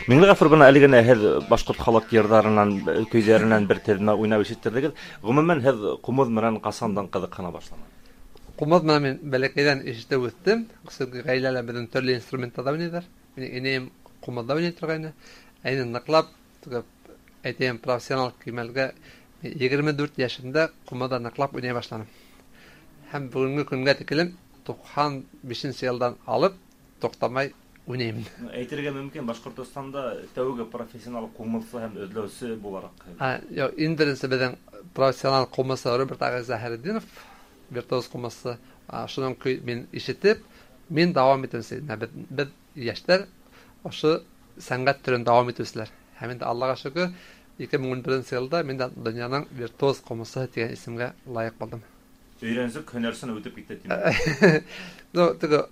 Миңлегафур, бына әле генә һеҙ башҡорт халыҡ йырҙарынан, көйҙәренән бер теҙмә уйнап ишеттерҙегеҙ. Ғөмүмән, һеҙ ҡумыҙ менән ҡасандан ҡыҙыҡһына башланығыҙ? Ҡумыҙ менән мин бәләкәйҙән ишетеп үҫтем. Сөнки ғаиләлә беҙҙең төрлө инструменттарҙа уйнайҙар. Минең инәйем ҡумыҙҙа уйнай торғайны. Ә инде ныҡлап, әйтәйем, профессионал кимәлгә 24 йәшемдә ҡумыҙҙа ныҡлап уйнай башланым. Һәм бөгөнгө көнгә тиклем 95 йылдан алып туҡтамай уйнайым. Әйтергә мөмкин, Башҡортостанда тәүге профессионал ҡумыҙсы һәм эҙләүсе булараҡ. Юҡ, иң беренсе беҙҙең профессионал ҡумыҙсы Роберт ағай Заһретдинов, виртуоз ҡумыҙсы. Шуның көй мин ишетеп, мин дауам итеүсе. Беҙ йәштәр ошо сәнғәт төрөн дауам итеүселәр. Һәм инде Аллаға шөкөр, 2011 йылда мин дә донъяның виртуоз ҡумыҙсыһы тигән исемгә лайыҡ булдым. Өйрәнсек һөнәрсен үтеп китте тиме? Ну, теге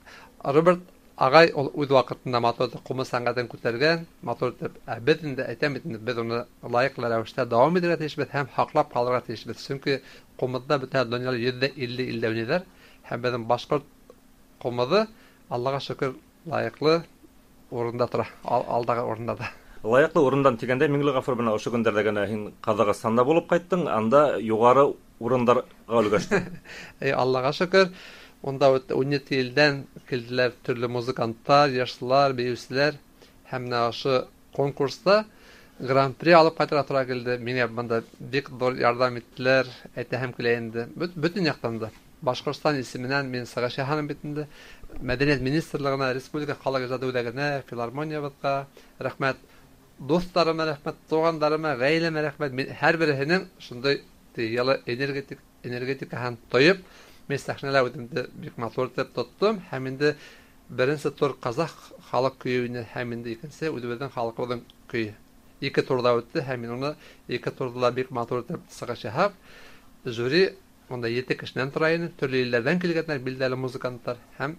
Роберт ағай ул үҙ ваҡытында матур итеп ҡумыҙ сәнғәтен күтәргән, матур итеп. Ә беҙ инде әйтәм бит инде, беҙ уны лайыҡлы рәүештә дауам итергә тейешбеҙ һәм һаҡлап ҡалырға тейешбеҙ. Сөнки ҡумыҙҙа бөтә донъяла 150 илдә уйнайҙар, һәм беҙҙең башҡорт ҡумыҙы Аллаға шөкөр лайыҡлы урында тора, алдағы урында да. Лайыҡлы урындан тигәндә, Миңлеғафур, бына ошо көндәрҙә генә һин Ҡаҙағстанда булып ҡайттың, анда юғары урындарға өлгәштең. Эй, Аллаға шөкөр, унда 17 илдән килделәр төрлө музыканттар, йырсылар, бейеүселәр, һәм менә ошо конкурста гран-при алып ҡайтырға тура килде. Миңә бында бик ҙур ярҙам иттеләр, әйтәһем килә инде. Бөтөн яҡтан да. Башҡортостан исеменән мин сығыш яһаным бит инде. Мәҙәниәт министрлығына, Республика халыҡ ижады үҙәгенә, филармониябыҙға рәхмәт. Дуҫтарыма рәхмәт, туғандарыма, ғаиләмә рәхмәт. Мин һәр береһенең шундай йылы энергетикаһын тойоп, мин сәхнәлә үҙемде бик матур итеп тоттом. Һәм инде беренсе тур ҡаҙаҡ халыҡ көйө ине, һәм инде икенсе үҙебеҙҙең халҡыбыҙҙың көйө. Ике турҙа үтте, һәм мин уны ике турҙа ла бик матур итеп сығыш яһап, жюри унда 7 кешенән тора ине, төрлө илдәрҙән килгәндәр, билдәле музыканттар, һәм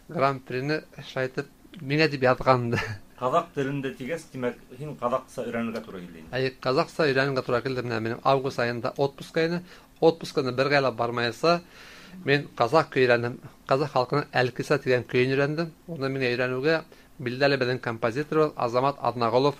гран-прины шулай итеп миңә тип яҙған инде. Ҡаҙаҡ телендә тигәс, тимәк, һин ҡаҙаҡса өйрәнергә тура килде инде. Әйе, ҡаҙаҡса өйрәнергә тура килде. Менә минең август айында отпуска ине. Отпусканы бер ғайла бармайса, мин ҡаҙаҡ көй өйрәндем. Ҡаҙаҡ халҡының Әлкиса тигән көйөн өйрәндем. Уны миңә өйрәнеүгә билдәле беҙҙең композитор Азамат Аҙнағолов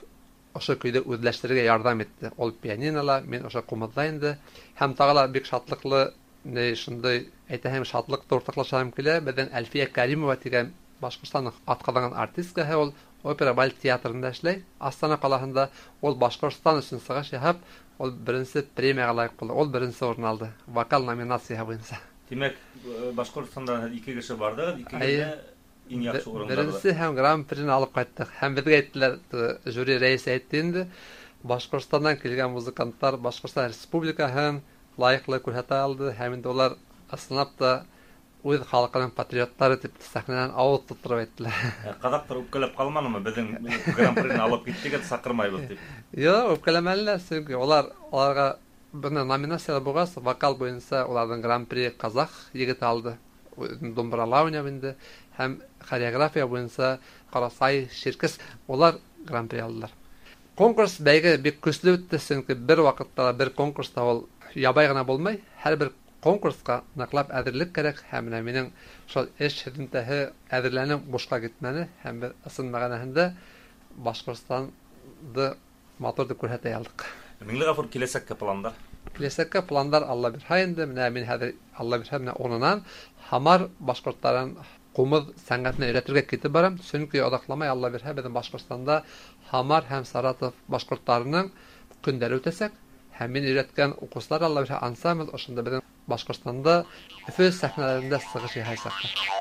ошо көйҙө үҙләштерергә ярҙам итте. Ул пианинола, мин ошо ҡумыҙҙа инде. Һәм тағы ла бик шатлыҡлы, ни шундай әйтәһем, шатлыҡты уртаҡлашаһым килә. Беҙҙең Әлфиә Кәримова тигән Башҡортостандың атҡаҙанған артисткаһы, ул опера балет театрында эшләй, Астана ҡалаһында. Ул Башҡортостан өсөн сығыш яһап, ул беренсе премияға лайыҡ булды. Ул беренсе урын алды вокал номинацияһы буйынса. Тимәк, Башҡортостандан ике кеше барҙығыҙ, икегеҙ Әйе. дә иң яҡшы урындарҙа. Беренсе һәм гран-прины алып ҡайттыҡ. Һәм беҙгә әйттеләр, жюри рәйесе әйтте инде, Башҡортостандан килгән музыканттар Башҡортостан Республикаһын лайыҡлы күрһәтә алды, һәм инде улар ысынлап та үҙ халҡының патриоттары тип сәхнәнән ауыҙ тутырып әйттеләр. Ҡаҙаҡтар үпкәләп ҡалманымы, беҙҙең гран-прины алып киттегеҙ, саҡырмайбыҙ тип? Юҡ, үпкәләмәнеләр, сөнки уларға бына номинацияла булғас, вокал буйынса уларҙың гран-при ҡаҙаҡ егете алды. Домбырала уйнап инде, һәм хореография буйынса Ҡарасай, Ширкес, улар гран-при алдылар. Конкурс бәйге бик көслө үтте, сөнки бер ваҡытта ла бер конкурста ул ябай ғына булмай, һәр бер конкурсҡа ныҡлап әҙерлек кәрәк, һәм менә минең шул эш һөҙөмтәһе әҙерләнеү бушҡа китмәне, һәм беҙ ысын мәғәнәһендә Башҡортостанды матур итеп күрһәтә алдыҡ. Миңлеғафур, киләсәккә пландар? Киләсәккә пландар Алла бирһә инде, менә мин хәҙер Алла бирһә менә унынан Һамар башҡорттарын ҡумыҙ сәнғәтенә өйрәтергә китеп барам, сөнки оҙаҡламай Алла бирһә беҙҙең Башҡортостанда Һамар һәм Саратов башҡорттарының көндәре үтәсәк, һәм мин өйрәткән уҡыусылар Алла бирһә ансамбль ошонда беҙҙең Башҡортостанда Өфө сәхнәләрендә сығыш яһаясаҡтар.